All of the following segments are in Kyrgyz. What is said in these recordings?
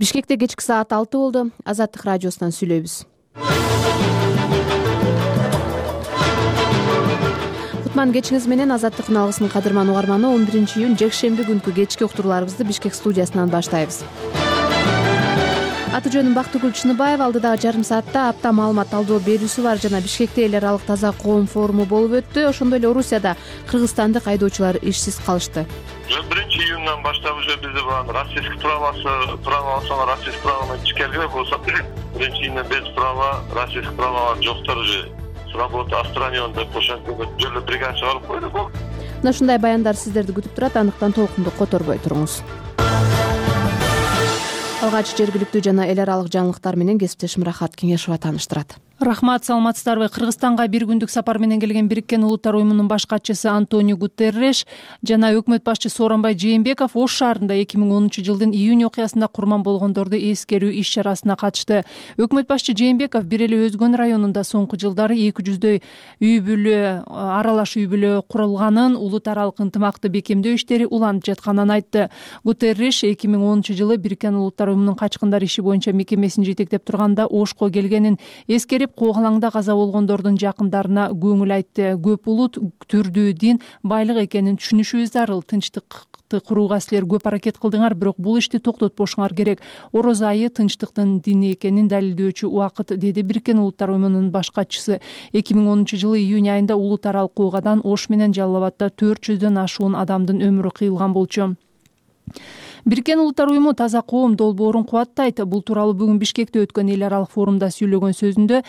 Бишкекте кечки саат 6 болду. Азаттык радиосунан сүйлөйбүз. Кутман кечиңиз менен. Азаттык күналгысынын кадырман угарманы, 11-июнь жекшемби күнкү кечки уктурууларыбызды Бишкек студиясынан баштайбыз. Аты жөнүм Бактыгүл Чыныбаев. Алдыдагы жарым саатта апта маалымат талдоо берүүсү бар жана Бишкекте эл аралык таза коом форуму болуп өттү. Ошондой эле Орусияда кыргызстандык айдоочулар ишсиз калышты. 1-июндан баштап уже бизде российский правосына российский правоны ичкерге болсо 1-июндан без права российский правалар жоктор уже с работы отстранен деп ошентип жолу бригада чыгарып койду. Мына ушундай баяндар сиздерди күтүп турат. Андыктан толкунду которбой туруңуз. Алгач жергиликтүү жана эл аралык жаңылыктар менен кесиптешим Рахат Кеңешова тааныштырат. Рахмат, саламатсыздарбы? Кыргызстанга бир күндүк сапар менен келген Бириккен Улуттар уюмунун баш катчысы Антонио Гутерриш жана өкмөт башчысы Сооронбай Жээнбеков Ош шаарында 2010-жылдын июнь окуясында курман болгондорду эскерүү иш чарасына катышты. Өкмөт башчы Жээнбеков бир эле Өзгөн районунда соңку жылдары 200 үй бүлө, аралаш үй бүлө курулганын, улут аралык ынтымакты бекемдөө иштери уланып жатканын айтты. Гутерриш 2010-жылы Бириккен Улуттар уюмунун качкындар иши боюнча мекемесин жетектеп турганда Ошко келгенин эскерип, Коогалаңда каза болгондордун жакындарына көңүл айтты. Көп улут, түрдүү дин, байлык экенин түшүнүшүбүз зарыл. Тынчтыкты курууга силер көп аракет кылдыңар, бирок бул ишти токтотпошуңар керек. Ороз айы тынчтыктын дини экенин далилдөөчү убакыт, деди Бириккен Улуттар уюмунун баш катчысы. 2010-жылы июнь айында улут аралык оогадан Ош менен Жалал Абадта 400дөн ашуун адамдын өмүрү кыйылган болчу. Бириккен Улуттар уюму таза коом долбоорун кубаттайт. Бул тууралуу бүгүн Бишкекте өткөн эл аралык форумда сүйлөгөн сөзүндө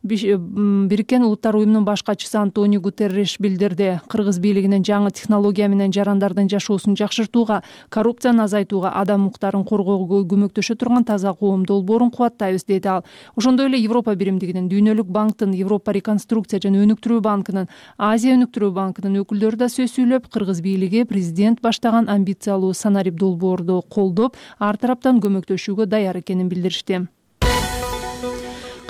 Бириккен Улуттар уюмунун баш катчысы Антонио Гутерриш билдирди. Кыргыз бийлигинин жаңы технология менен жарандардын жашоосун жакшыртууга, коррупцияны азайтууга, адам укуктарын коргоого көмөктөшө турган таза коом долбоорун кубаттайбыз, деди ал. Ошондой эле Европа биримдигинин, Дүйнөлүк банктын, Европа реконструкция жана өнүктүрүү банкынын, Азия өнүктүрүү банкынын өкүлдөрү да сөз сүйлөп, кыргыз бийлиги президент баштаган амбициялуу санарип долбоорду колдоп, ар тараптан көмөктөшүүгө даяр экенин билдиришти.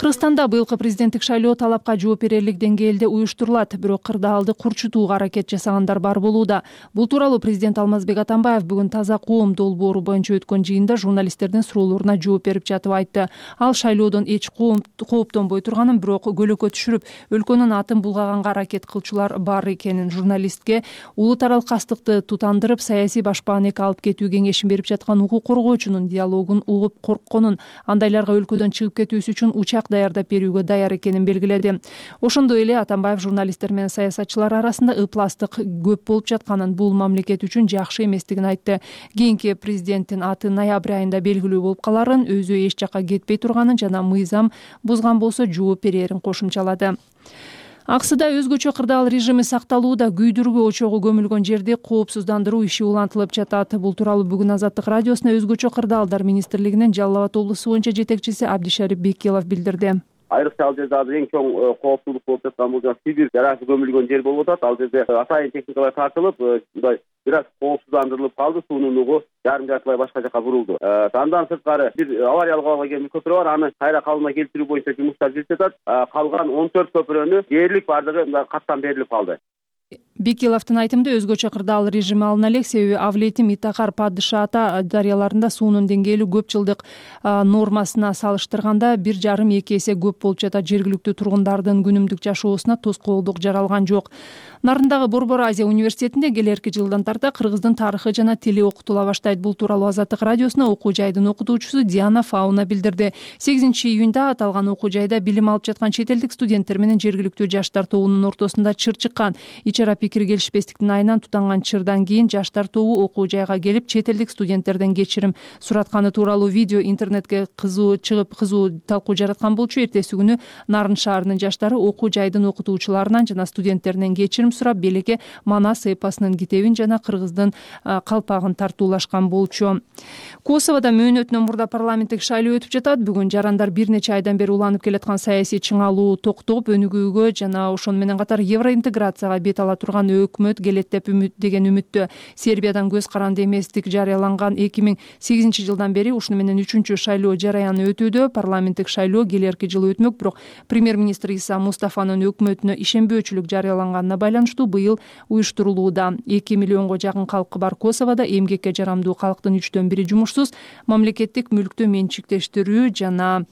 Кыргызстанда быйылкы президенттик шайлоо талапка жооп берерлик деңгээлде уюштурулат, бирок кырдаалды курчутууга аракет жасагандар бар болууда. Бул тууралуу президент Алмазбек Атамбаев бүгүн таза коом долбоору боюнча өткөн жыйында журналисттердин суроолоруна жооп берип жатып айтты. Ал шайлоодон эч кооптонбой турганын, бирок көлөкө түшүрүп, өлкөнүн атын булгаганга аракет кылчулар бар экенин, журналистке улут аралык кастыкты тутандырып, саясий башпаанекке алып кетүү кеңешин берип жаткан укук коргоочунун диалогун угуп коркконун, андайларга өлкөдөн чыгып кетүүсү үчүн учак даярдап берүүгө даяр экенин белгиледи. Ошондой эле Атамбаев журналисттер менен саясатчылар арасында ыпластык көп болуп жатканын, бул мамлекет үчүн жакшы эместигин айтты. Кийинки президенттин аты ноябрь айында белгилүү болуп каларын, өзү эч жакка кетпей турганын жана мыйзам бузган болсо жооп берерин кошумчалады. Аксыда өзгөчө кырдаал режими сакталууда. Күйдүргү очогу көмүлгөн жерди коопсуздандыруу иши улантылып жатат. Бул тууралуу бүгүн Азаттык радиосуна өзгөчө кырдаалдар министрлигинин Жалал Абад облусу боюнча жетекчиси Абдишарип Бекилов билдирди. Айрыкча ал жерде азыр эң чоң коопсуздук болуп жаткан бул Сибирь жарасы көмүлгөн жер болуп атат. Ал жерде атайын техникалар тартылып, мындай бир аз коопсуздандырылып калды, суунун угу жарым-жартылай башка жака бурулду. Андан сырткары бир авариялык абалга келген көпүрө бар, аны кайра калыбына келтирүү боюнча жумуштар жүрүп жатат. Калган 14 көпүрөнү дээрлик бардыгы каттан берилип калды. Бекиловдун айтымында өзгөчө кырдаал режими алына элек, себеби Авлетим, Итакар, Падышаата дарыяларында суунун деңгээли көп жылдык нормасына салыштырганда 1,5-2 эсе көп болуп жатат. Жергиликтүү тургундардын күнүмдүк жашоосуна тоскоолдук жаралган жок. Нарындагы Борбор Азия университетинде келерки жылдан тарта кыргыздын тарыхы жана тили окутула баштайт. Бул тууралуу Азаттык радиосуна окуу жайдын окутуучусу Диана Фауна билдирди. 8-июнда аталган окуу жайда билим алып жаткан чет элдик студенттер менен жергиликтүү жаштар тобунун ортосунда чыр чыккан. Ичара пикир келишпестиктин айынан тутанган чырдан кийин жаштар тобу окуу жайга келип, чет элдик студенттерден кечирим суратканы тууралуу видео интернетке чыгып кызуу талкуу жараткан болчу. Эртеси күнү Нарын шаарынын жаштары окуу жайдын окутуучуларынан жана студенттеринен кечирим сурап, белекке Манас эпосунун китебин жана кыргыздын калпагын тартуулашкан болчу. Косоводо мөөнөтүнөн мурда парламенттик шайлоо өтүп жатат. Бүгүн жарандар бир нече айдан бери уланып келаткан саясий чыңалуу токтоп, өнүгүүгө жана ошону менен катар евроинтеграцияга бет ала турган турган өкмөт келет деп деген үмүттө. Сербиядан көз каранды эместик жарыяланган 2008 жылдан бери ушуну менен 3-чү шайлоо жараяны өтүүдө. Парламенттик шайлоо келерки жылы өтмөк, бирок премьер-министр Иса Мустафанын өкмөтүнө ишенбөөчүлүк жарыяланганына байланыштуу быйыл уюштурулууда. 2 миллионго жакын калкы бар Косоводо эмгекке жарамдуу калктын 3/4 жумушсуз. Мамлекеттик мүлктү менчиктештирүү жана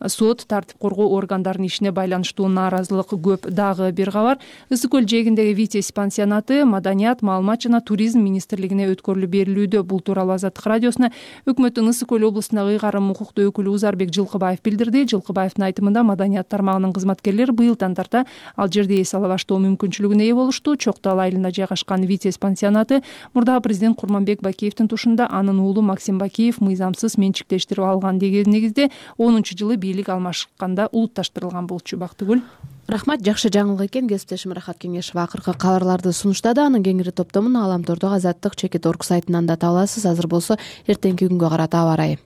сот тартип коргоо органдарынын ишине байланыштуу нааразылык көп. Дагы бир кабар. Ысык көл жээгиндеги Витязь пансионаты Маданият, маалымат жана туризм министрлигине өткөрүлүп берилүүдө. Бул тууралуу Азаттык радиосуна өкмөттүн Ысык көл облустундагы ыйгарым укуктуу өкүлү Узарбек Жылкыбаев билдирди. Жылкыбаевдин айтымында Маданият тармагынын кызматкерлери быйылдан тарта ал жерде эс ала баштоо мүмкүнчүлүгүнө ээ болушту. Чок Тал айылында жайгашкан Витязь пансионаты мурдагы президент Курманбек Бакиевдин тушунда анын уулу Максим Бакиев мыйзамсыз менчиктештирип алган деген негизде 10-жылы бийлик алмашканда улутташтырылган болчу. Бактыгүл. Рахмат, жакшы жаңылык экен. Кесиптешим Рахат Кеңешова акыркы кабарларды сунуштады. Анын кеңири топтомун Аламтордогу Азаттык.org сайтынан да таба аласыз. Азыр болсо эртеңки күнгө карата аба ырайы.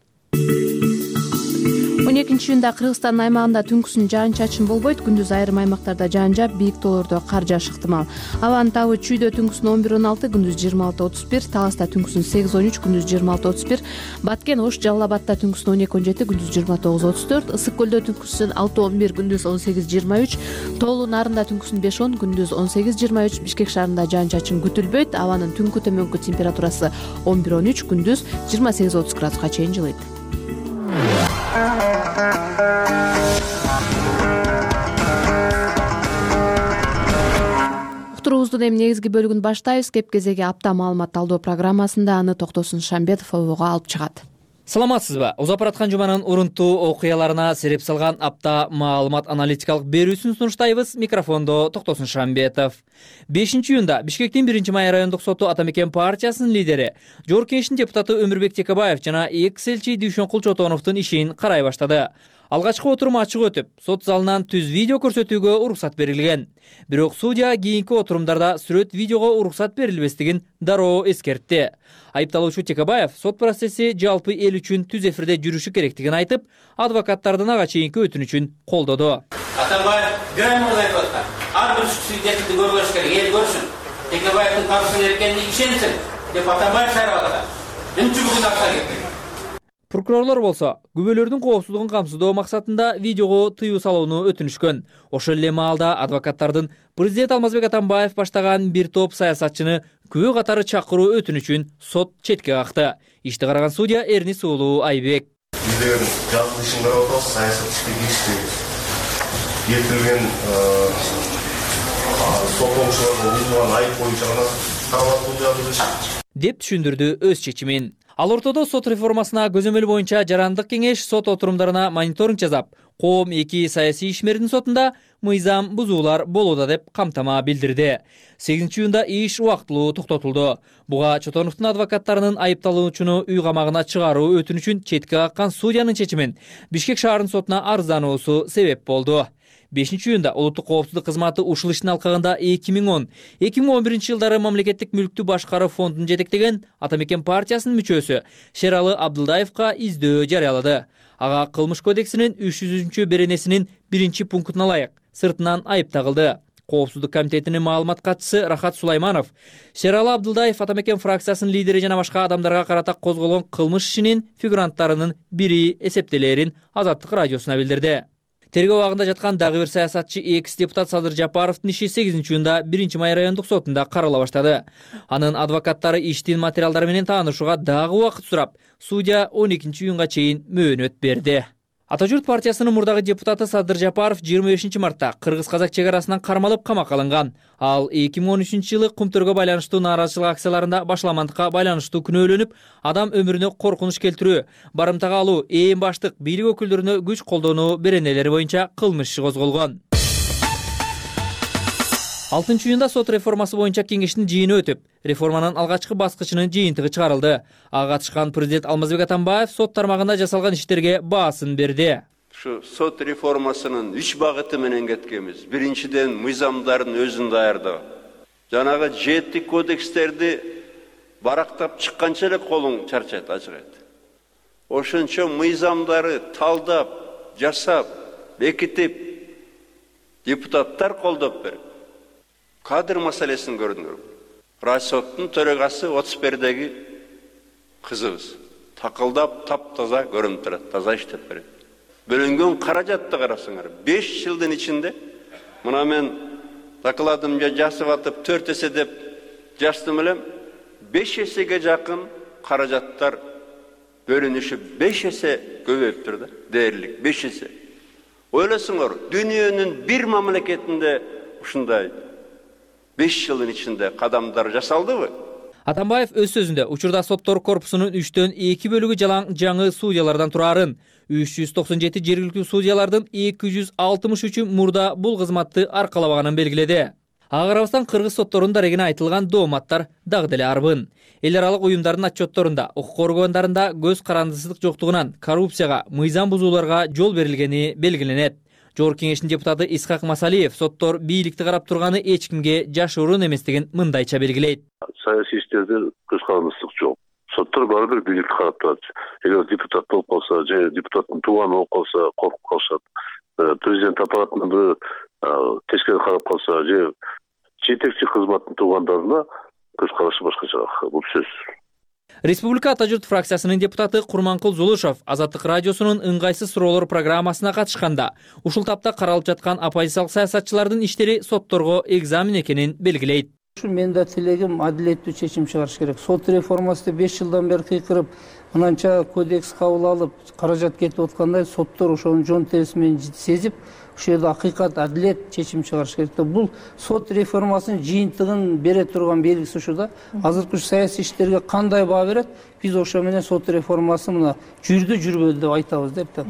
12-июнда Кыргызстандын аймагында түнкүсүн жаан-чачын болбойт. Күндүз айрым аймактарда жаан жаап, бийик тоолордо кар жаашы ыктымал. Абанын табы Чүйдө түнкүсүн 11-16, күндүз 26-31, Таласта түнкүсүн 8-13, күндүз 26-31, Баткен, Ош, Жалал Абадта түнкүсүн 12-17, күндүз 29-34, Ысык көлдө түнкүсүн 6-11, күндүз 18-23, Тоолуу Нарында түнкүсүн 5-10, күндүз 18-23, Бишкек шаарында жаан-чачын күтүлбөйт. Абанын түнкү төмөнкү температурасы 11-13, күндүз 28-30 градуска чейин жылыйт. Уктуруубуздун эми негизги бөлүгүн баштайбыз. Кеп кезеги апта маалымат талдоо программасында аны Токтосун Шамбетов ОВОго алып чыгат. Саламатсызбы? Узап бараткан жуманын урунттуу окуяларына сереп салган апта маалымат аналитикалык берүүсүн сунуштайбыз. Микрофондо Токтосун Шамбетов. 5-июнда Бишкектин 1-май райондук соту Атамекен партиясынын лидери, Жогорку Кеңештин депутаты Өмүрбек Текебаев жана экс-элчи Дүйшөнкул Чотоновдун ишин карай баштады. Алгачкы отурум ачык өтүп, сот залынан түз видео көрсөтүүгө уруксат берилген. Бирок судья кийинки отурумдарда сүрөт видеого уруксат берилбестигин дароо эскертти. Айыпталуучу Текебаев сот процесси жалпы эл үчүн түз эфирде жүрүшү керектигин айтып, адвокаттардын ага чейинки өтүнүчүн колдоду. Атамбаев грамотно айтып аткан. Ар бир свидетельди көрүш керек, эл көрсүн. Текебаевдин каршы экенине ишенсин деп Атамбаев шаарып аткан. Эмче бүгүн акча кетти. Прокурорлор болсо күбөлөрдүн коопсуздугун камсыздоо максатында видеого тыюу салууну өтүнүшкөн. Ошол эле маалда адвокаттардын президент Алмазбек Атамбаев баштаган бир топ саясатчыны күбө катары чакыруу өтүнүчүн сот четке какты. Ишти караган судья Эрнис уулу Айбек. Биздер жалпы ишин карап атабыз, саясат иштеги келтирилген соттолуушуларга уюлган айып боюнча гана каралат бул жагы деп түшүндүрдү өз чечимин. Ал ортодо сот реформасына көзөмөл боюнча жарандык кеңеш сот отурумдарына мониторинг жасап, Коом 2 саясий ишмердин сотунда мыйзам бузуулар болууда деп камтама билдирди. 8-июнда иш убактылуу токтотулду. Буга Чотоновдун адвокаттарынын айыпталуучуну үй камагына чыгаруу өтүнүчүн четке каккан судьянын чечимин Бишкек шаарынын сотуна арыздануусу себеп болду. 5-июнда улуттук коопсуздук кызматы ушул иштин алкагында 2010-2011 жылдары мамлекеттик мүлктү башкаруу фондун жетектеген Атамекен партиясынын мүчөсү Шералы Абдылдаевка издөө жарыялады. Ага кылмыш кодексинин 300 беренесинин 1-пунктуна ылайык сыртынан айып тагылды. Коопсуздук комитетинин маалымат катчысы Рахат Сулайманов Шералы Абдылдаев Атамекен фракциясынын лидери жана башка адамдарга карата козголгон кылмыш ишинин фигуранттарынын бири эсептелерин Азаттык радиосуна билдирди. Тергөө абагында жаткан дагы бир саясатчы экс-депутат Садыр Жапаровдун иши 8-июнда 1-май райондук сотунда карала баштады. Анын адвокаттары иштин материалдары менен таанышууга дагы убакыт сурап, судья 12-июнга чейин мөөнөт берди. Ата журт партиясынын мурдагы депутаты Садыр Жапаров 25 мартта кыргыз-казак чек арасынан кармалып камакка алынган. Ал 2013-жылы кумтөргө байланыштуу нааразычылык акцияларында башламандыкка байланыштуу күнөөлөнүп, адам өмүрүнө коркунуч келтирүү, барымтага алуу, ээн баштык бийлик өкүлдөрүнө күч колдонуу беренелери боюнча кылмыш иши козголгон. 6-июнда сот реформасы боюнча кеңештин жыйыны өтүп, реформанын алгачкы баскычынын жыйынтыгы чыгарылды. Ага катышкан президент Алмазбек Атамбаев сот тармагында жасалган иштерге баасын берди. Ушу сот реформасынын 3 багыты менен кеткенбиз. Биринчиден мыйзамдардын өзүн даярдоо. Жанагы 7 кодекстерди барактап чыкканча эле колуң чарчайт, ажырайт. Ошончо мыйзамдары талдап, жасап, бекитип депутаттар колдоп берет. Кадр маселесин көрдүңөр. Райсоттун төрөгасы 31-деги кызыбыз. Такылдап таптаза көрүнүп турат, таза иштеп берет. Бөлүнгөн каражатты карасаңар, 5 жылдын ичинде мына мен докладымда жазып атып 4 эсе деп жаздым элем, 5 эсеге жакын каражаттар бөлүнүшү 5 эсе көбөйүптүр да, дээрлик 5 эсе. Ойлосоңор, дүйнөнүн бир мамлекетинде ушундай 5 жылдын ичинде кадамдар жасалдыбы? Атамбаев өз сөзүндө учурда соттор корпусунун 3-төн 2 бөлүгү жалаң жаңы судьялардан турарын, 397 жергиликтүү судьялардын 263-ü мурда бул кызматты аркалабаганын белгиледи. Ага карабастан кыргыз сотторунун дарегине айтылган дооматтар дагы деле арбын. Эл аралык уюмдардын отчетторунда укук коргоондарында көз карандысыздык жоктугунан коррупцияга, мыйзам бузууларга жол берилгени белгиленет. Жогорку кеңештин депутаты Исхак Масалиев соттор бийликти карап турганы эч кимге жашыруун эместигин мындайча белгилейт. Саясий иштерде көз карандысыздык жок. Соттор баары бир бийликти карап турат. Эгер депутат болуп калса, же депутаттын тууганы болуп калса, коркуп калышат. Президент аппаратынан бир тескери карап калса, же жетекчи кызматтын туугандарына көз карашы башкача. Бул сөз. Республика Ата журт фракциясынын депутаты Курманкул Зулушов Азаттык радиосунун ыңгайсыз суроолор программасына катышканда ушул тапта каралып жаткан оппозициялык саясатчылардын иштери сотторго экзамен экенин белгилейт. Мен да тилегим адилеттүү чечим чыгарыш керек. Сот реформасы 5 жылдан бери кыйкырып, мынанча кодекс кабыл алып, каражат кетип аткандай соттор ошонун жон териси менен сезип, ушул жерде акыйкат, адилет чечим чыгарыш керек. Бул сот реформасынын жыйынтыгын бере турган белгиси ушу да. Азыркы саясий иштерге кандай баа берет? Биз ошо менен сот реформасы мына жүрдү, жүрбөдү деп айтабыз деп да.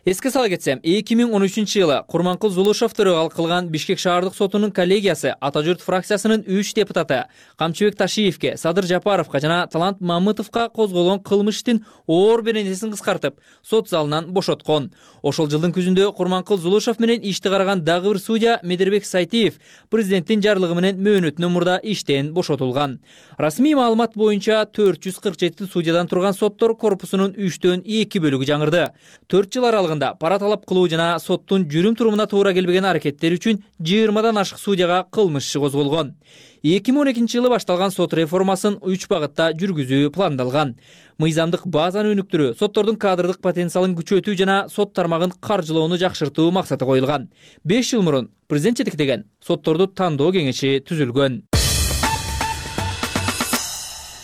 Эске сала кетсем, 2013-жылы Курманкул Зулушов төрөгалык кылган Бишкек шаардык сотунун коллегиясы Ата журт фракциясынын 3 депутаты Камчыбек Ташиевке, Садыр Жапаровго жана Талант Мамытовго козголгон кылмыш иштин оор беренесин кыскартып, сот залынан бошоткон. Ошол жылдын күзүндө Курманкул Зулушов менен ишти караган дагы бир судья Медербек Сайтиев президенттин жарлыгы менен мөөнөтүнөн мурда иштен бошотулган. Расмий маалымат боюнча 447 судьядан турган соттор корпусунун 3-төн 2 бөлүгү жаңырды. 4 жыл аралыгында пара талап кылуу жана соттун жүрүм турумуна туура келбеген аракеттер үчүн 20дан ашык судьяга кылмыш иши козголгон. 2012-жылы башталган сот реформасын 3 багытта жүргүзүү пландалган. Мыйзамдык базаны өнүктүрүү, соттордун кадрдык потенциалын күчөтүү жана сот тармагын каржылоону жакшыртуу максаты коюлган. 5 жыл мурун президент жетектеген сотторду тандоо кеңеши түзүлгөн.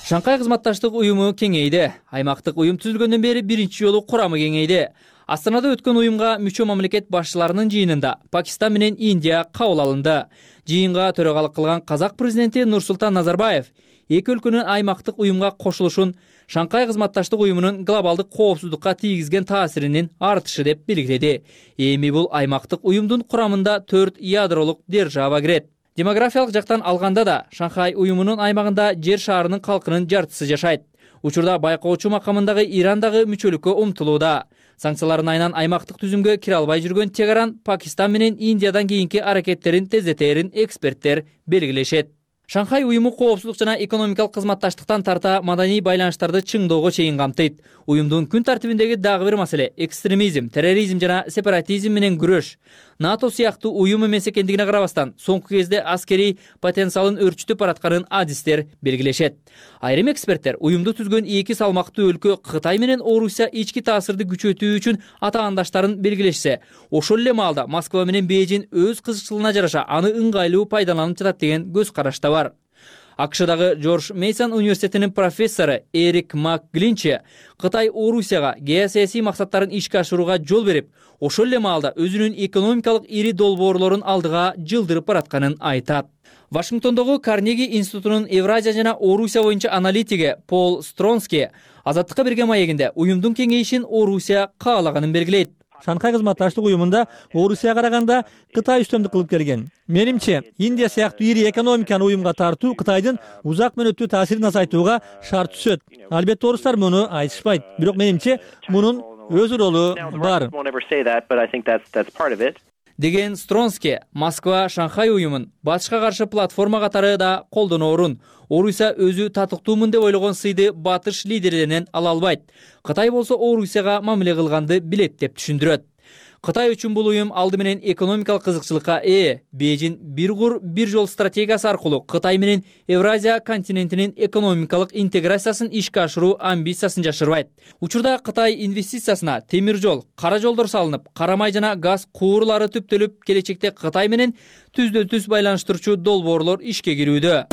Шанхай кызматташтык уюму кеңейди. Аймактык уюм түзүлгөндөн бери биринчи жолу курамы кеңейди. Астанада өткөн уюмга мүчө мамлекет башчыларынын жыйынында Пакистан менен Индия кабыл алынды. Жыйынга төрагалык кылган Казак президенти Нурсултан Назарбаев эки өлкөнүн аймактык уюмга кошулушун Шанхай кызматташтык уюмунун глобалдык коопсуздукка тийгизген таасиринин артышы деп белгиледи. Эми бул аймактык уюмдун курамында 4 ядролук держава кирет. Демографиялык жактан алганда да Шанхай уюмунун аймагында жер шаарынын калкынын жартысы жашайт. Учурда байкоочу макамындагы Иран дагы мүчөлүккө умтулууда. Санкциялардын айынан аймактык түзүмгө кире албай жүргөн Тегеран Пакистан менен Индиядан кийинки аракеттерин тездетерин эксперттер белгилешет. Шанхай уюму коопсуздук жана экономикалык кызматташтыктан тарта маданий байланыштарды чыңдоого чейин камтыйт. Уюмдун күн тартибиндеги дагы бир маселе экстремизм, терроризм жана сепаратизм менен күрөш. НАТО сыяктуу уюм эмес экендигине карабастан, соңку кезде аскерий потенциалын өрчүтүп баратканын адистер белгилешет. Айрым эксперттер уюмду түзгөн эки салмактуу өлкө Кытай менен Орусия ички таасирди күчөтүү үчүн атаандаштарын белгилешсе, ошол эле маалда Москва менен Бейжин өз кызыкчылыгына жараша аны ыңгайлуу пайдаланып жатат деген көз карашта бар. АКШдагы Джордж Мейсон университетинин профессору Эрик МакГлинчи Кытай Орусияга геосаясий максаттарын ишке ашырууга жол берип, ошол эле маалда өзүнүн экономикалык ири долбоорлорун алдыга жылдырып баратканын айтат. Вашингтондогу Карнеги институтунун Евразия жана Орусия боюнча аналитиги Пол Стронски Азаттыкка берген маегинде уюмдун кеңейишин Орусия каалаганын белгилейт. Шанхай кызматташтык уюмунда Орусияга караганда Кытай үстөмдүк кылып келген. Менимче, Индия сыяктуу ири экономиканы уюмга тартуу Кытайдын узак мөөнөттүү таасирин азайтууга шарт түзөт. Албетте орустар муну айтышпайт. Бирок менимче мунун өз ролу бар. Деген Стронски, Москва Шанхай уюмун батышка каршы платформа катары да колдоноорун, Орусия өзү татыктуумун деп ойлогон сыйды батыш лидерлеринен ала албайт. Кытай болсо Орусияга мамиле кылганды билет деп түшүндүрөт. Кытай үчүн бул уюм алды менен экономикалык кызыкчылыкка Бейжин бир кур бир жол стратегиясы аркылуу Кытай менен Евразия континентинин экономикалык интеграциясын ишке ашыруу амбициясын жашырбайт. Учурда Кытай инвестициясына темир жол, кара жолдор салынып, кара май жана газ куурлары түптөлүп, келечекте Кытай менен түздөн-түз байланыштырчу долбоорлор ишке кирүүдө.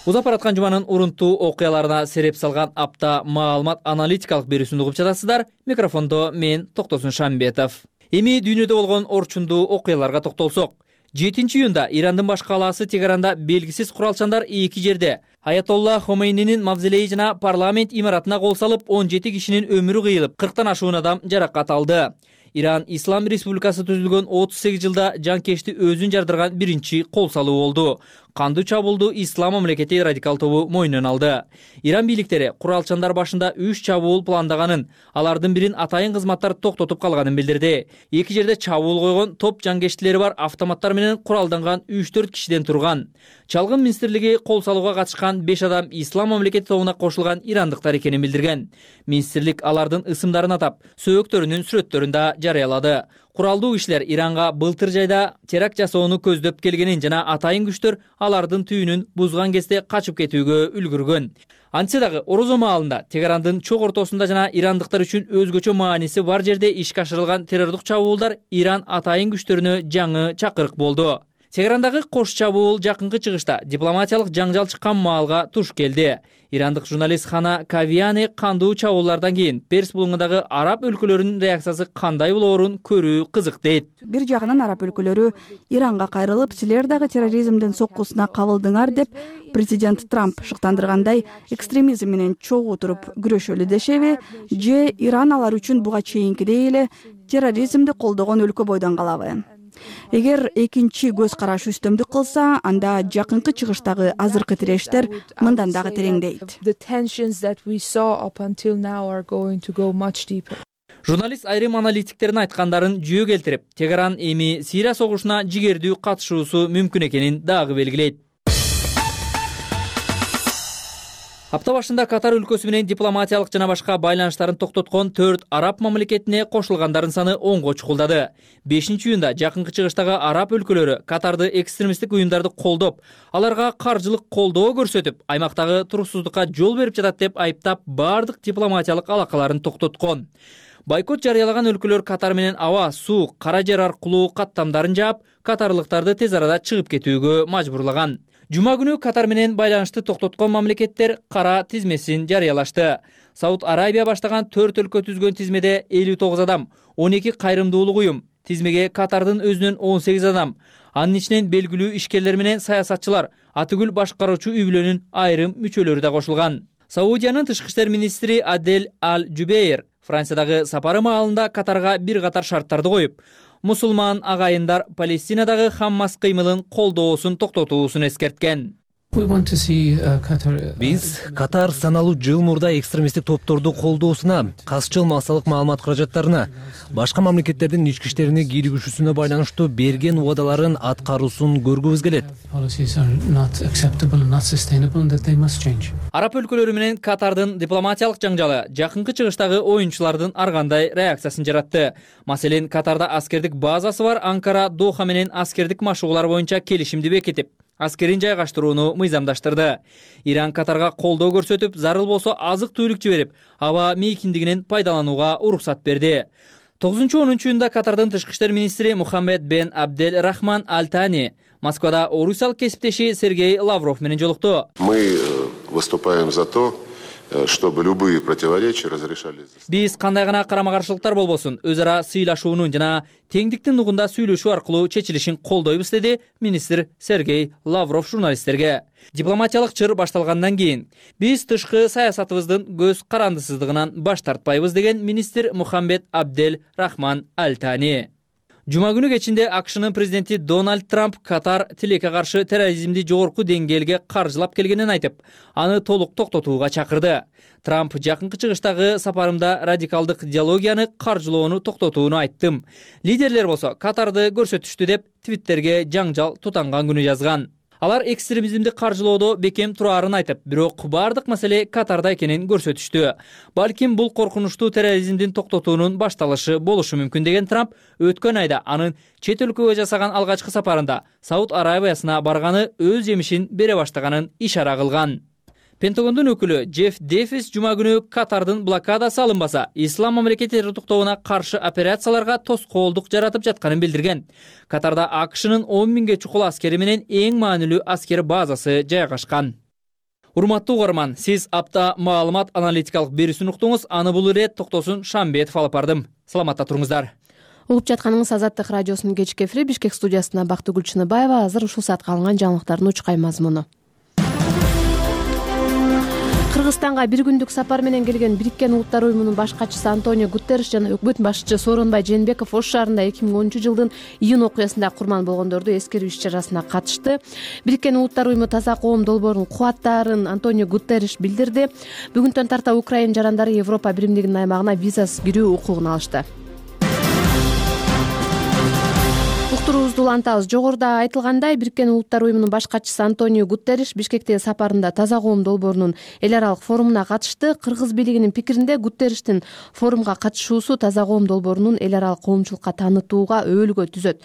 Узап бараткан жуманын урунтуу окуяларына сереп салган апта маалымат аналитикалык берүүсүн угуп жатасыздар. Микрофондо мен Токтосун Шамбетов. Эми дүйнөдө болгон орчундуу окуяларга токтолсок. 7 июнда Ирандын баш калаасы Тегеранда белгисиз куралчандар 2 жерде Аятолла Хомейнинин мавзолейи жана парламент имаратына кол салып, 17 кишинин өмүрү кыйылып, 40тан ашуун адам жаракат алды. Иран Ислам Республикасы түзүлгөн 38 жылда жанкечти өзүн жардырган биринчи кол салуу болду. Кандуу чабуулду Ислам мамлекети радикал тобу мойнуна алды. Иран бийликтери куралчандар башында 3 чабуул пландаганын, алардын бирин атайын кызматтар токтотуп калганын билдирди. 2 жерде чабуул койгон топ жанкечтилери бар автоматтар менен куралданган 3-4 кишиден турган. Чалгын министрлиги кол салууга катышкан 5 адам Ислам мамлекети тобуна кошулган ирандыктар экенин билдирген. Министрлик алардын ысымдарын атап, сөөктөрүнүн сүрөттөрүн да жарыялады. Куралдуу кишилер Иранга былтыр жайда теракт жасоону көздөп келгенин жана атайын күчтөр алардын түйүнүн бузган кезде качып кетүүгө үлгүргөн. Антсе дагы орозо маалында Тегерандын чок ортосунда жана ирандыктар үчүн өзгөчө мааниси бар жерде ишке ашырылган террордук чабуулдар Иран атайын күчтөрүнө жаңы чакырык болду. Тегерандагы кош чабуул жакынкы чыгышта дипломатиялык жаңжал чыккан маалга туш келди. Ирандык журналист Хана Кавиани кандуу чабуулардан кийин Перс булуңундагы араб өлкөлөрүнүн реакциясы кандай болоорун көрүү кызык дейт. Бир жагынан араб өлкөлөрү Иранга кайрылып, силер дагы терроризмдин соккусуна кабылдыңар деп президент Трамп шыктандыргандай экстремизм менен чогуу туруп күрөшөлү дешеби, же Иран алар үчүн буга чейинкидей эле терроризмди колдогон өлкө бойдон калабы? Эгер экинчи көз караш үстөмдүк кылса, анда жакынкы чыгыштагы азыркы тирештер мындан дагы тереңдейт. Журналист айрым аналитиктердин айткандарын жүйө келтирип, Тегеран эми Сирия согушуна жигердүү катышуусу мүмкүн экенин дагы белгилейт. Апта башында Катар өлкөсү менен дипломатиялык жана башка байланыштарын токтоткон 4 араб мамлекетине кошулгандардын саны 10го чукулдады. 5 июнда жакынкы чыгыштагы араб өлкөлөрү Катарды экстремисттик уюмдарды колдоп, аларга каржылык колдоо көрсөтүп, аймактагы туруксуздукка жол берип жатат деп айыптап, бардык дипломатиялык алакаларын токтоткон. Бойкот жарыялаган өлкөлөр Катар менен аба, суу, кара жер аркылуу каттамдарын жаап, катарлыктарды тез арада чыгып кетүүгө мажбурлаган. Жума күнү Катар менен байланышты токтоткон мамлекеттер кара тизмесин жарыялашты. Сауд Арабия баштаган 4 өлкө түзгөн тизмеде 59 адам, 12 кайрымдуулук уюм, тизмеге Катардын өзүнөн 18 адам, анын ичинен белгилүү ишкерлер менен саясатчылар, атүгүл башкаруучу үй бүлөнүн айрым мүчөлөрү да кошулган. Саудиянын тышкы иштер министри Адель Аль-Жубейр Франциядагы сапары маалында Катарга бир катар шарттарды коюп, мусулман агайындар Палестинадагы Хаммас кыймылын колдоосун токтотуусун эскерткен. Биз Катар саналуу жыл мурда экстремисттик топторду колдоосуна, казчыл массалык маалымат каражаттарына, башка мамлекеттердин ички иштерине кийлигишүүсүнө байланыштуу берген убадаларын аткаруусун көргүбүз келет. Араб өлкөлөрү менен Катардын дипломатиялык жаңжалы жакынкы чыгыштагы оюнчулардын ар кандай реакциясын жаратты. Маселен, Катарда аскердик базасы бар Анкара Доха менен аскердик машыгуулар боюнча келишимди бекитип, аскерин жайгаштырууну мыйзамдаштырды. Иран Катарга колдоо көрсөтүп, зарыл болсо азык-түлүк жиберип, аба мейкиндигинен пайдаланууга уруксат берди. 9-10 июнда Катардын тышкы иштер министри Мухаммед бен Абдель Рахман Аль-Тани Москвада орусиялык кесиптеши Сергей Лавров менен жолукту. Мы выступаем за то, чтобы любые противоречия разрешались. Биз кандай гана карама-каршылыктар болбосун, өз ара сыйлашуунун жана теңдиктин нугунда сүйлөшүү аркылуу чечилишин колдойбуз, деди министр Сергей Лавров журналисттерге. Дипломатиялык чыр башталгандан кийин биз тышкы саясатыбыздын көз карандысыздыгынан баш тартпайбыз, деген министр Мухаммед Абдель Рахман Аль-Тани. Жума күнү кечинде АКШнын президенти Дональд Трамп Катар тилекке каршы терроризмди жогорку деңгээлге каржылап келгенин айтып, аны толук токтотууга чакырды. Трамп жакынкы чыгыштагы сапарымда радикалдык идеологияны каржылоону токтотууну айттым. Лидерлер болсо Катарды көрсөтүштү деп Твиттерге жаңжал тутанган күнү жазган. Алар экстремизмди каржылоодо бекем турарын айтып, бирок бардык маселе Катарда экенин көрсөтүштү. Балким бул коркунучтуу терроризмдин токтотуунун башталышы болушу мүмкүн деген Трамп өткөн айда анын чет өлкөгө жасаган алгачкы сапарында Сауд Арабиясына барганы өз жемишин бере баштаганын ишара кылган. Пентагондун өкүлү Джефф Дэвис жума күнү Катардын блокадасы алынбаса, ислам мамлекет террордуктоогуна каршы операцияларга тоскоолдук жаратып жатканын билдирген. Катарда АКШнын 10 миңге чукул аскери менен эң маанилүү аскер базасы жайгашкан. Урматтуу угарман, сиз апта маалымат аналитикалык берүүсүн уктуңуз. Аны бул ирет Токтосун Шамбетов алып бардым. Саламатта туруңуздар. Угуп жатканыңыз Азаттык радиосунун кечки эфири. Бишкек студиясына Бактыгүл Чыныбаева. Азыр ушул саатка алынган жаңылыктардын учкай мазмуну. Кыргызстанга бир күндүк сапар менен келген Бириккен Улуттар уюмунун баш катчысы Антонио Гутерриш жана өкмөт башчысы Сооронбай Жээнбеков Ош шаарында 2010 жылдын июнь окуясында курман болгондорду эскерүү иш-чарасына катышты. Бириккен Улуттар уюму таза коом долбоорун кубаттаарын Антонио Гутерриш билдирди. Бүгүнтөн тарта Украина жарандары Европа биримдигинин аймагына визасыз кирүү укугун алышты. Уктуруубузду улантабыз. Жогоруда айтылгандай, Бириккен Улуттар уюмунун баш катчысы Антонио Гутерриш Бишкектеги сапарында таза коом долбоорунун эл аралык форумуна катышты. Кыргыз бийлигинин пикиринде Гутерриштин форумга катышуусу таза коом долбоорунун эл аралык коомчулукка таанытууга өбөлгө түзөт.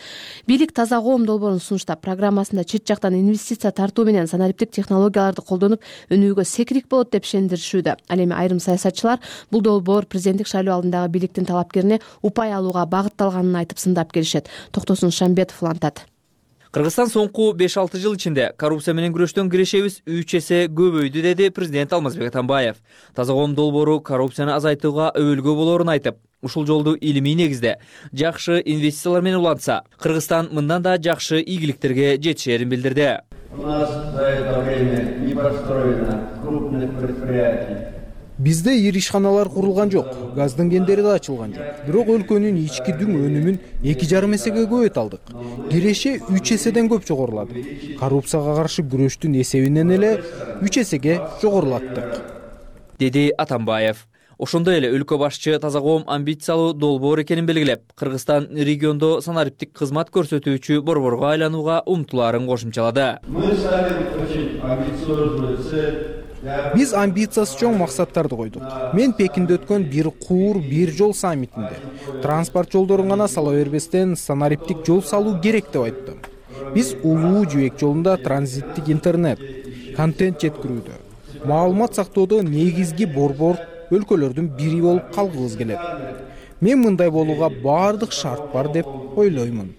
Бийлик таза коом долбоорун сунуштап, программасында чет жактан инвестиция тартуу менен санариптик технологияларды колдонуп, өнүүгө секирик болот деп ишендиришүүдө. Ал эми айрым саясатчылар бул долбоор президенттик шайлоо алдындагы бийликтин талапкерине упай алууга багытталганын айтып сындап келишет. Токтосун Шамбетов улантат. Кыргызстан соңку 5-6 жыл ичинде коррупция менен күрөштөн кирешебиз 3 эсе көбөйдү, деди президент Алмазбек Атамбаев. Таза коом долбоору коррупцияны азайтууга өбөлгө болоорун айтып, ушул жолду илимий негизде жакшы инвестициялар менен улантса, Кыргызстан мындан да жакшы ийгиликтерге жетишерин билдирди. У нас за это время не построено крупных предприятий. Бизде ири ишканалар курулган жок, газдын кендери да ачылган жок. Бирок өлкөнүн ички дүң өнүмүн 2,5 эсеге көбөйт алдык. Киреше 3 эседен көп жогорулады. Коррупцияга каршы күрөштүн эсебинен эле 3 эсеге жогорулаттык, деди Атамбаев. Ошондой эле өлкө башчы таза коом амбициялуу долбоор экенин белгилеп, Кыргызстан региондо санариптик кызмат көрсөтүүчү борборго айланууга умтулаарын кошумчалады. Мы ставим очень амбициозную цель. Биз амбициясы чоң максаттарды койдук. Мен Пекинде өткөн бир куур, бир жол саммитинде транспорт жолдорун гана сала бербестен санариптик жол салуу керек деп айттым. Биз улуу жибек жолунда транзиттик интернет, контент жеткирүүдө, маалымат сактоодо негизги борбор өлкөлөрдүн бири болуп калгыбыз келет. Мен мындай болууга баардык шарт бар деп ойлоймун.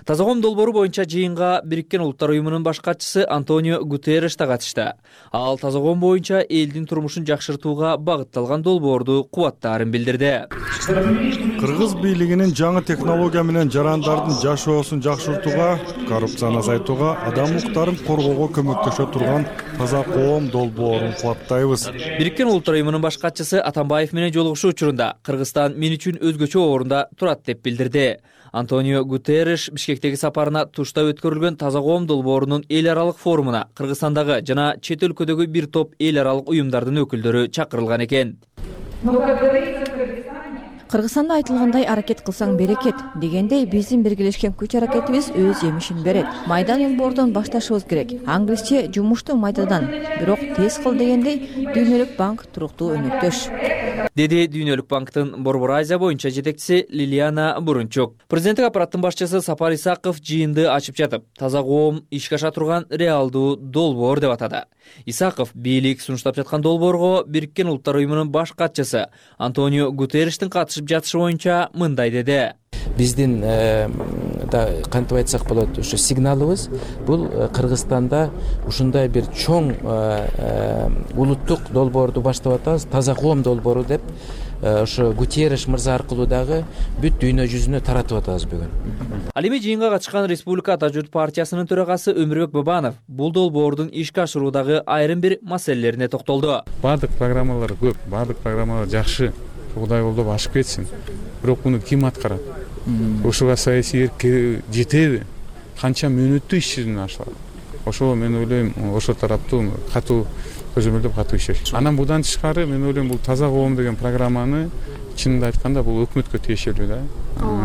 Таза коом долбоору боюнча жыйынга Бириккен Улуттар уюмунун баш катчысы Антонио Гутерриш да катышты. Ал таза коом боюнча элдин турмушун жакшыртууга багытталган долбоорду кубаттаарын билдирди. Кыргыз бийлигинин жаңы технология менен жарандардын жашоосун жакшыртууга, коррупцияны азайтууга, адам укуктарын коргоого көмөктөшө турган таза коом долбоорун кубаттайбыз. Бириккен Улуттар уюмунун баш катчысы Атамбаев менен жолугушуу учурунда Кыргызстан мен үчүн өзгөчө орунда турат деп билдирди. Антонио Гутерриш Бишкектеги сапарына тушта өткөрүлгөн таза коом долбоорунун эл аралык форумуна Кыргызстандагы жана чет өлкөдөгү бир топ эл аралык уюмдардын өкүлдөрү чакырылган экен. Кыргызстанда айтылгандай аракет кылсаң берекет дегендей биздин биргелешкен күч аракетибиз өз жемишин берет. Майдан бордон башташыбыз керек. Англисче жумушту майдадан, бирок тез кыл дегендей Дүйнөлүк банк туруктуу өнөктөш, деди Дүйнөлүк банктын Борбор Азия боюнча жетекчиси Лилиана Бурунчук. Президенттик аппараттын башчысы Сапар Исаков жыйынды ачып жатып, таза коом ишке аша турган реалдуу долбоор деп атады. Исаков бийлик сунуштап жаткан долбоорго Бириккен Улуттар уюмунун баш катчысы Антонио Гутерриштин катышып жатышы боюнча мындай деди. Биздин кантип айтсак болот, ушу сигналыбыз бул Кыргызстанда ушундай бир чоң улуттук долбоорду баштап атабыз, таза коом долбоору деп ошо Гутерриш мырза аркылуу дагы бүт дүйнө жүзүнө таратып атабыз бүгүн. Ал эми жыйынга катышкан Республика Ата журт партиясынын төрагасы Өмүрбек Бабанов бул долбоордун ишке ашыруудагы айрым бир маселелерине токтолду. Бардык программалар көп, бардык программалар жакшы, Кудай колдоп ашып кетсин. Бирок муну ким аткарат? Ошого саясий эрк жетеби? Канча мөөнөттүү иш жүзүнө ашылат? Ошого мен ойлойм, ошо тараптуу катуу көзөмөлдөп катуу иштеш. Анан будан тышкары мен ойлойм бул таза коом деген программаны чынында айтканда бул өкмөткө тиешелүү да.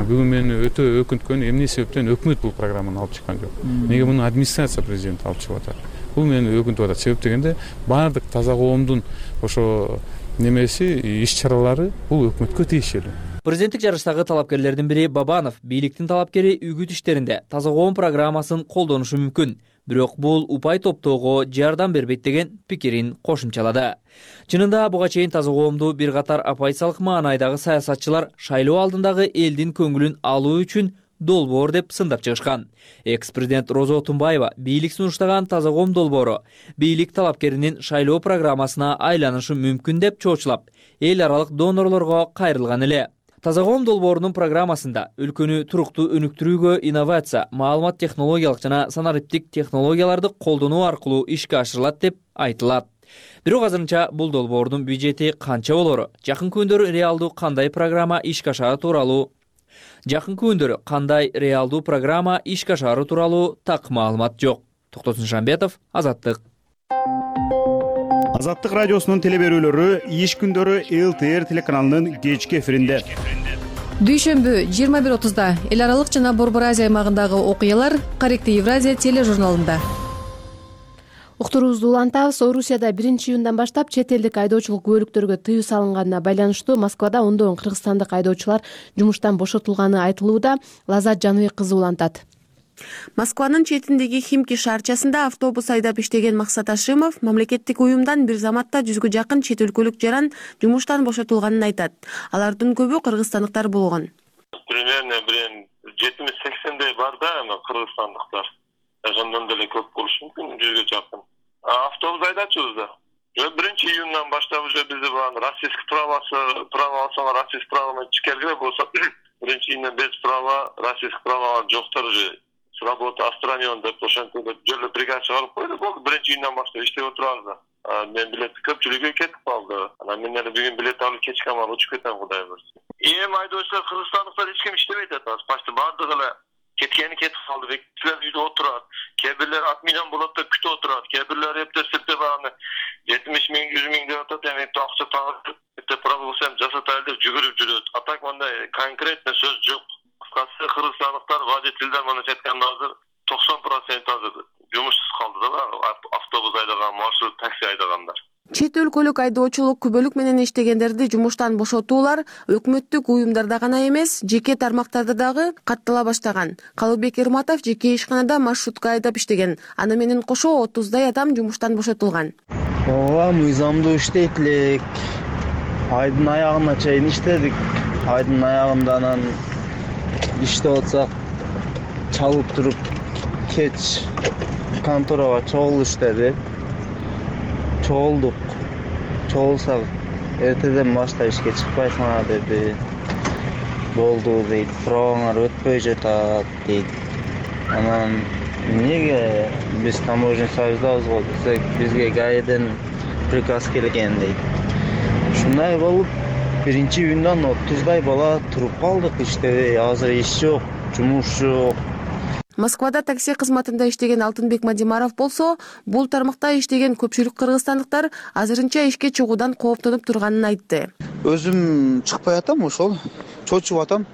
Бүгүн мени өтө өкүнткөн эмне себептен өкмөт бул программаны алып чыккан жок. Неге муну администрация президент алып чыгып атат? Бул мени өкүнтүп атат. Себеп дегенде баардык таза коомдун ошо немеси иш-чаралары бул өкмөткө тиешелүү. Президенттик жарыштагы талапкерлердин бири Бабанов бийликтин талапкери үгүт иштеринде таза коом программасын колдонушу мүмкүн. Бирок бул упай топтоого жардам бербейт деген пикирин кошумчалады. Чынында буга чейин таза коомду бир катар оппозициялык маанайдагы саясатчылар шайлоо алдындагы элдин көңүлүн алуу үчүн долбоор деп сындап чыгышкан. Экс-президент Роза Отунбаева бийлик сунуштаган таза коом долбоору бийлик талапкеринин шайлоо программасына айланышы мүмкүн деп чоочулап, эл аралык донорлорго кайрылган эле. Таза коом долбоорунун программасында өлкөнү туруктуу өнүктүрүүгө инновация, маалымат технологиялык жана санариптик технологияларды колдонуу аркылуу ишке ашырылат деп айтылат. Бирок азырынча бул долбоордун бюджети канча болору, жакын күндөрү реалдуу кандай программа ишке ашары тууралуу так маалымат жок. Токтосун Шамбетов, Азаттык. Азаттык радиосунун телеберүүлөрү иш күндөрү ЛТР телеканалынын кечки эфиринде. Дүйшөмбү 21:30 эл аралык жана Борбор Азия аймагындагы окуялар Корректив Евразия тележурналында. Уктуруубузду улантабыз. Орусияда 1-июндан баштап чет элдик айдоочулук кубөлүктөргө тыюу салынганына байланыштуу Москвада ондогон кыргызстандык айдоочулар жумуштан бошотулганы айтылууда. Лазат Жаныбек кызы улантат. Москванын четиндеги Химки шаарчасында автобус айдап иштеген Максат Ашимов мамлекеттик уюмдан бир заматта 100гө жакын чет өлкөлүк жаран жумуштан бошотулганын айтат. Алардын көбү кыргызстандыктар болгон. Примерно 70-80дей бар да, кыргызстандыктар. Ошондон деле көп болушу мүмкүн, 100гө жакын. Автобус айдачубуз да. 1-июндан баштап уже бизде российский правосына российский право менен чекерге болсо 1-июндан без права, российский права жоктор уже с работы отстранен деп ошентип жолу бригада чыгарып койду. Болду 1-июндан баштап иштеп отурабыз да. Мен билет көпчүлүгү кетип калды. Анан мен эле бүгүн билет алып кечке амал учуп кетем, Кудай буйрса. Эми айдоочулар кыргызстандыктар эч ким иштебейт атат. Почти бардыгы эле кеткени кетип калды. Бекитилер үйдө отурат. Кээ бирлер отменен болот деп күтүп отурат. Кээ бирлер эптеп аны 70 миң, 100 миң деп атат. Эми акча тагып пробуса жасатайлы деп жүгүрүп жүрөт. А так мындай конкретный сөз жок. Кыскасы кыргызстандыктар водительдер мына жеткенде азыр 90% азыр жумушсуз калды да, автобус айдаган, маршрут такси айдагандар. Чет өлкөлүк айдоочулук күбөлүк менен иштегендерди жумуштан бошотуулар өкмөттүк уюмдарда гана эмес, жеке тармактарда дагы каттала баштаган. Калыбек Ирматов жеке ишканада маршрутка айдап иштеген. Аны менен кошо 30дай адам жумуштан бошотулган. Ооба, мыйзамдуу иштейт элек. Айдын аягына чейин иштедик. Айдын аягында анан иштеп атсак чалып туруп кеч конторага чогул иштеди. Чогулдук. Чогулсак эртеден баштап ишке чыкпайсыңар деди. Болду дейт. Пробаңар өтпөй жатат дейт. Анан эмнеге биз таможня союздабыз го десек, бизге ГАИден приказ келген дейт. Ушундай болуп 1-июндан 30дай бала туруп калдык иштебей. Азыр иш жок, жумуш жок. Москвада такси кызматында иштеген Алтынбек Мадимаров болсо, бул тармакта иштеген көпчүлүк кыргызстандыктар азырынча ишке чыгуудан кооптонуп турганын айтты. Өзүм чыкпай атам, ошол чочуп атам.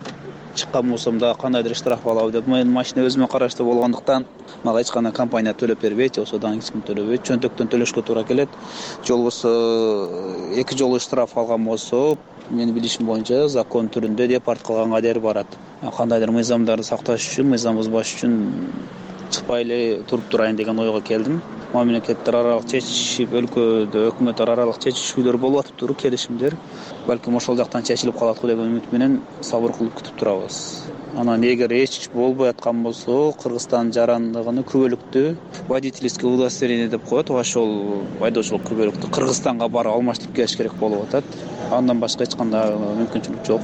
Чыккан болсом да кандайдыр штраф алабы деп, менин машина өзүмө караштуу болгондуктан мага эч кандай компания төлөп бербейт, осодан эч ким төлөбөйт. Чөнтөктөн төлөшкө туура келет. Же болбосо 2 жолу штраф алган болсо, менин билишим боюнча закон түрүндө депорт кылганга дер барат. Кандайдыр мыйзамдарды сакташ үчүн, мыйзам бузбаш үчүн чыкпай эле туруп турайын деген ойго келдим. Мамлекеттер аралык чечишип, өлкөдө өкмөт аралык чечишүүлөр болуп атыптыр, келишимдер. Балким ошол жактан чечилип калат го деген үмүт менен сабыр кылып күтүп турабыз. Анан эгер эч болбой аткан болсо, Кыргызстан жарандыгын күбөлүктү водительский удостоверение деп коет. Ошол айдоочулук күбөлүктү Кыргызстанга барып алмаштырып келиш керек болуп атат. Андан башка эч кандай мүмкүнчүлүк жок.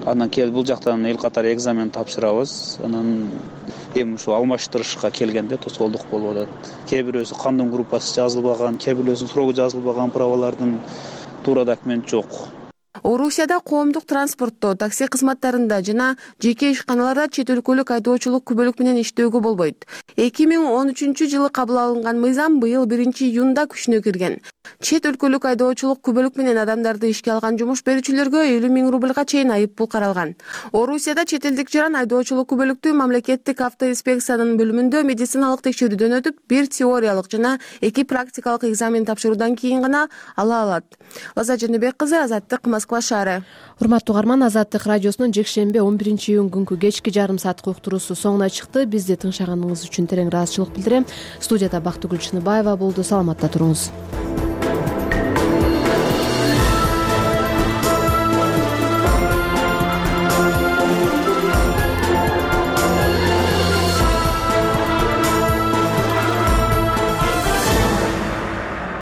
Андан кийин бул жактан эл катары экзамен тапшырабыз. Анан эми ушул алмаштырышка келгенде тоскоолдук болуп атат. Кээ бирөөсү кандын группасы жазылбаган, кээ бирөөсү срогу жазылбаган правалардын туура документ жок. Орусияда коомдук транспортто, такси кызматтарында жана жеке ишканаларда чет өлкөлүк айдоочулук күбөлүк менен иштөөгө болбойт. 2013 жылы кабыл алынган мыйзам быйыл 1-июнда күчүнө кирген. Чет өлкөлүк айдоочулук күбөлүк менен адамдарды ишке алган жумуш берүүчүлөргө 50 000 рубльга чейин айып пул каралган. Орусияда чет элдик жаран айдоочулук күбөлүктү мамлекеттик автоинспекциянын бөлүмүндө медициналык текшерүүдөн өтүп, 1 теориялык жана 2 практикалык экзамен тапшыруудан кийин гана ала алат. Лаза Жаныбек кызы, Азаттык, Москва шаары. Урматтуу угарман, Азаттык радиосунун жекшемби 11-июнь күнкү кечки жарым сааттык уктуруусу соңуна чыкты. Бизди тыңшаганыңыз үчүн терең ыраазычылык билдирем. Студияда Бактыгүл Чыныбаева болду. Саламатта туруңуз.